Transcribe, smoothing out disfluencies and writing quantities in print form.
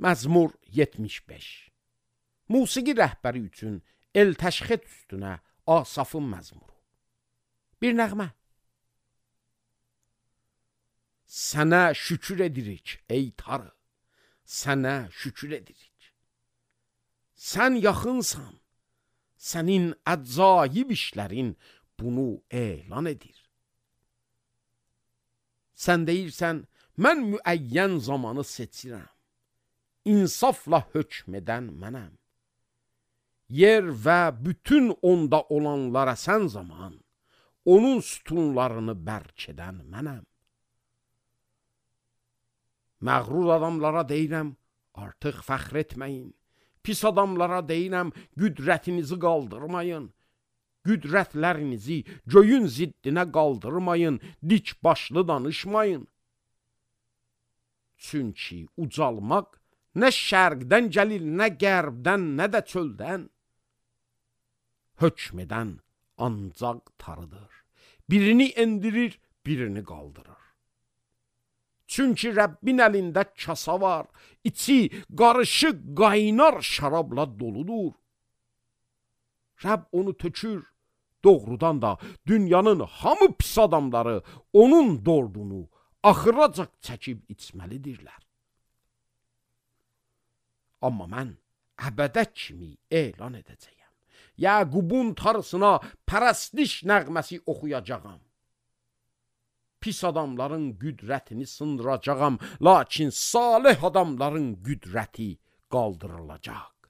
Məzmur 75. Musiqi rəhbəri üçün el təşxət üstünə Asafın məzmuru. Bir nəğmə. Sənə şükür edirik ey Tanrı, sənə şükür edirik. Sən yaxınsan, sənin əcaib işlərin bunu elan edir. Sən deyirsən, mən müəyyən zamanı seçirəm, insafla hökm edən mənəm. Yer və bütün onda olanlara sən zaman, onun sütunlarını bərk edən mənəm. Məğrur adamlara deyirəm, artıq fəxr etməyin. Pis adamlara deyirəm, qüdrətinizi qaldırmayın. Qüdrətlərinizi göyün ziddinə qaldırmayın, dik başlı danışmayın. Çünki ucalmaq nə şərqdən gəlir, nə qərbdən, nə də çöldən. Hökm edən ancaq Tanrıdır. Birini endirir, birini qaldırır. Çünki Rəbbin əlində kasa var, içi qarışıq qaynar şərabla doludur. Rəbb onu tökür, doğrudan da dünyanın hamı pis adamları onun dordunu axıracaq çəkib içməlidirlər. Amma mən əbədə kimi elan edəcəyəm. Yaqubun Tanrısına pərəstiş nəğməsi oxuyacağam. Pis adamların qüdrətini sındıracağam, lakin salih adamların qüdrəti qaldırılacaq.